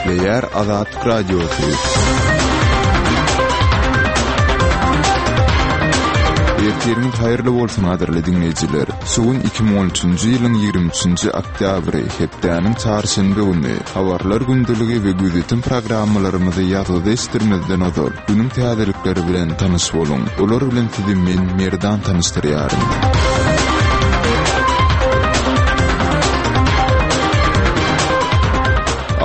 Gepleýär Azatlyk Radiosy. Ertiriňiz haýyrly bolsun gadyrly diňleýjiler. Şu gün 2013-nji ýylyň 23-nji oktýabry, hepdäniň çarşenbe güni. Habarlar gündeligi we gözýetim programmalarymyzy ýazgyda eşitdirmezden ozal, günüň täzelikleri bilen tanyş boluň. Olar bilen sizi men, Merdan tanyşdyrýaryn.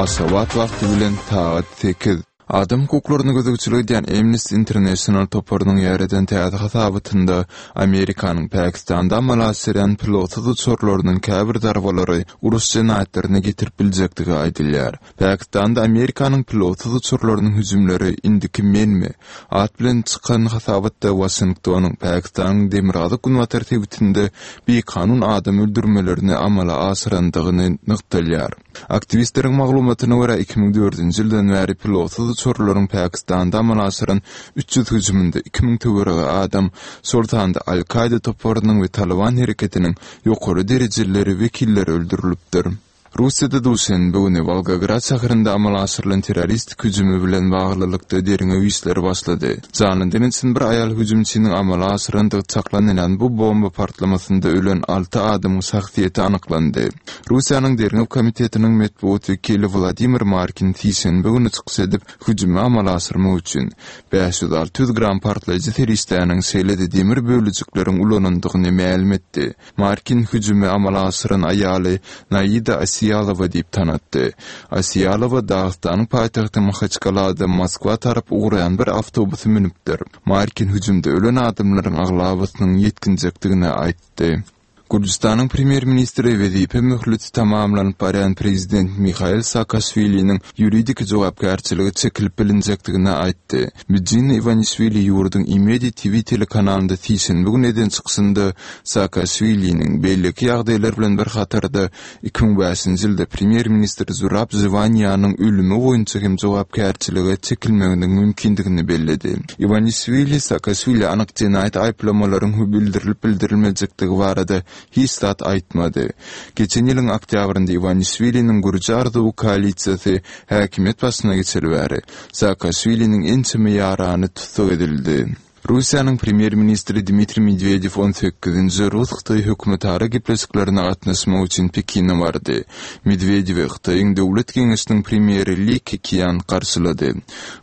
Aşgabat wagty bilen sagat sekiz. Adam hukuklaryna gözegçilik edýän Amnesty International toparynyň ýaýradan täze hasabatynda Amerikanyň Pakistanda amala aşyrýan pilotsyz uçarlarynyň käbir zarbalary uruş jenaýatlaryna getirip biljekdigi aýdylýar. Pakistanda Amerikanyň pilotsyz uçarlarynyň hüjümleri Indiki menmi? at bilen çykan hasabatda Waşingtonyň Pakistanyň demirgazyk-günbatar sebitinde bikanun adam öldürmelerini amala aşyrandygyny nygtalýar. Aktiwistleriň maglumatyna görä, 2004-nji ýyldan bäri pilotsyz uçarlaryň Pakistanda amala aşyran 300 hüjüminde 2000 töweregi adam, şol sanda Al-Kaýda toparynyň we Talyban hereketiniň ýokary derejelileri wekilleri öldürilipdir. Russiýada duşenbe güni Wolgograd şäherinde amala aşyrylan terroristik hüjümi bilen baglylykda derňew işleri başlady. Janly diňçin bir aýal hüjümçiniň amala aşyrandygy çaklanylýan bu bomba partlamasynda ölen alty adamyň şahsyýeti anyklandy. Russiýanyň Derňew komitetiniň metbugat wekili Wladimir Markin sişenbe güni çykyş edip, hüjümi amala aşyrmak üçin 500-600 gram partlaýjy serişdäniň, şeýle-de demir bölejikleriň ulanandygyny mälim etdi. Markin hüjümi amala aşyran aýaly Naida Asiýalowa diýip tanatdy. Asiýalowa Dagystanyň paýtagty Mahaçkalada Moskwa tarap ugraýan bir awtobusy münüpdir. Markin hüjümde ölen adamlaryň aglabasynyň ýetginjekdigini aýtdy. Gürjüstanyň premýer-ministri wezipe möhleti tamamlanyp barýan prezident Mihail Saakaşwiliniň ýuridiki jogapkärçilige çekilip bilinjekdigini aýtdy. Bidzina Iwanişwili ýurduň Imedi TV telekanalynda sişenbe güni eden çykyşynda Saakaşwiliniň, beýleki ýagdaýlar bilen bir hatarda, 2005-nji ýylda premýer-ministr Zurab Žwaniýanyň ölümi boýunça hem jogapkärçilige çekilmeginiň mümkindigini belledi. Iwanişwili Saakaşwilä anyk jenaýat aýyplamalaryň bildirilip-bildirilmejekdigi barada hiç zat aýtmady. Geçen ýylyň oktýabrynda Iwanişwiliniň Gürji arzuwy koalisiýasy häkimiýet başyna geçeli bäri, Saakaşwiliniň ençeme ýarany tussag edildi. Russiýanyň premýer-ministri Dmitriý Medwedew on sekizinji rus-hytaý hökümetara gepleşiklerine gatnaşmak üçin Pekine bardy. Medwedewi Hytaýyň Döwlet geňeşiniň premýeri Li Kekian garşylady.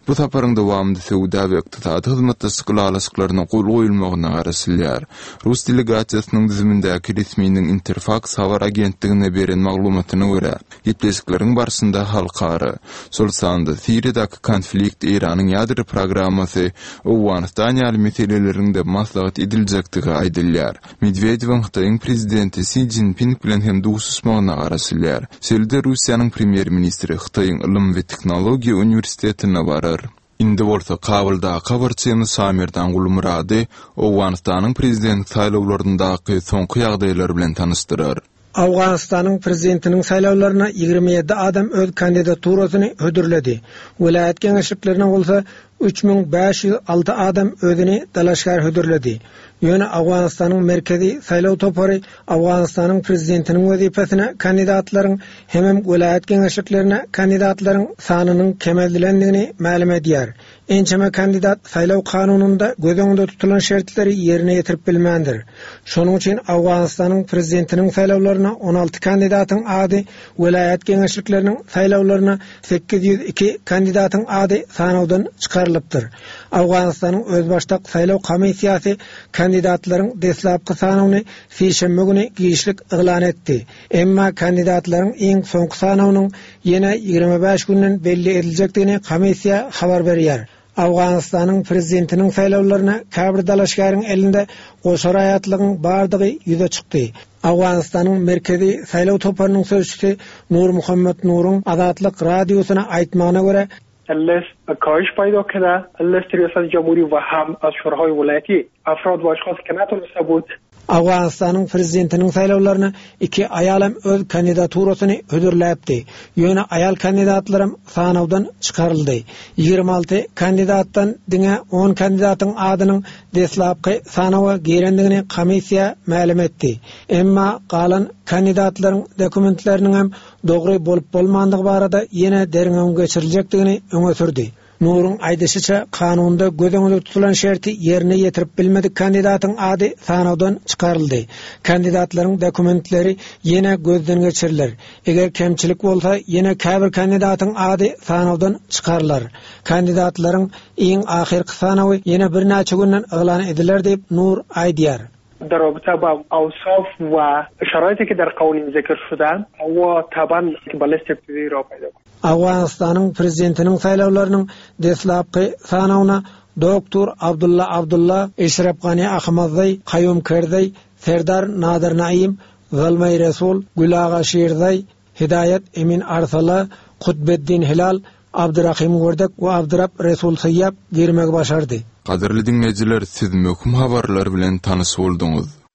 Bu saparyň dowamynda söwda we ykdysady hyzmatdaşlyk ylalaşyklaryna gol goýulmagyna garaşylýar. Rus delegasiýasynyň düzümindäki resminiň Interfaks habar agentligine beren maglumatyna görä, gepleşikleriň barşynda halkara, şol sanda Siriýadaky konflikt, Eýranyň ýadro programmasy, Owganystan ýaly meseleleriň-de maslahat ediljekdigi aýdylýar. Medwedewiň Hytaýyň prezidenti Si Szinping bilen hem duşuşmagyna garaşylýar. Şeýle-de Russiýanyň premýer-ministri Hytaýyň Ylym we tehnologiýa uniwersitetine barar. Indi bolsa Kabuldaky habarçymyz Şamerdan Gulmyrady Owganystanyň prezident saýlawlaryndaky soňky ýagdaýlar bilen tanyşdyrar. Owganystanyň prezidentiniň saýlawlaryna 27 adam öz kandidaturasyny hödürledi. Welaýat geňeşliklerine bolsa 3506 adam özüni dalaşgär hödürledi. Ýöne Owganystanyň Merkezi saýlaw topary Owganystanyň prezidentiniň wezipesine kandidatlaryň hemem welaýat geňeşliklerine kandidatlaryň sanynyň kemeldilendigini mälim edýär. Ençeme kandidat saýlaw kanunynda göz öňünde tutulan şertleri ýerine ýetirip bilmändir. Şonuň üçin Owganystanyň prezidentiniň saýlawlaryna 16 kandidatyň ady, welaýat geňeşlikleriniň saýlawlaryna 802 kandidatyň ady sanawdan çykarylypdyr. Owganystanyň Özbaşdak saýlaw komissiýasy kandidatlaryň deslapky sanawyny sişenbe güni giçlik yglan etdi. Emma kandidatlaryň iň soňky sanawynyň ýene 25 günden belli ediljekdigini komissiýa habar berýär. Owganystanyň prezidentiniň saýlawlaryna käbir dalaşgäriň elinde goşa raýatlygyň bardygy ýüze çykdy. Owganystanyň Merkezi saýlaw toparynyň sözçüsi Nurmuhammet Nuruň Azatlyk Radiosyna aýtmagyna görä, لیست کاهش پیدا کرده لیست ریاست جمهوری و هم از شوراهای ولایتی افراد و اشخاصی که نتونسته بود. Owganystanyň prezidentiniň saýlawlaryna iki aýalam öz kandidaturasyny hödürläpdi. Ýöne aýal kandidatlaram sanawdan çykaryldy. 26 kandidatdan diňe on kandidatyň adynyň deslapky sanawa girendigini komissiýa mälim etdi. Emma galan kandidatlaryň dokumentleriniňem dogry bolup-bolmandygy barada ýene derňewiň geçiriljekdigini öňe sürdi. Nuryň aýdyşyça, kanunda göz öňünde tutulan şerti ýerine ýetirip bilmedik kandidatyň ady sanawdan çykaryldy. Kandidatlaryň dokumentleri ýene gözden geçiriler. Eger kemçilik bolsa, ýene käbir kandidatyň ady sanawdan çykarylar. Kandidatlaryň iň ahyrky sanawy ýene birnäçe günden yglan ediler diýip, Nur aýdýar. در رابطه با اوصاف و شرایطی که در قوانین ذکر شده و طبعا با لیست ابتدایی را پیدا کنه. Owganystanyň prezidentiniň saýlawlarynyň deslapky sanawyna doktor Abdulla Abdulla, Eşrep Gani Ahmadzai, Kaýum Kerzaý, Serdar Nadir Naim, Zalmaý Resul, Gülaga Şirzaý, Hidaýat Emin Arsala, Kutbeddin Hilal, Abdyrahym Werdek we Abdyrap Resul Syýap girmegi başardy. Gadyrly diňleýjiler siz möhüm habarlar bilen tanyş bolduňyz.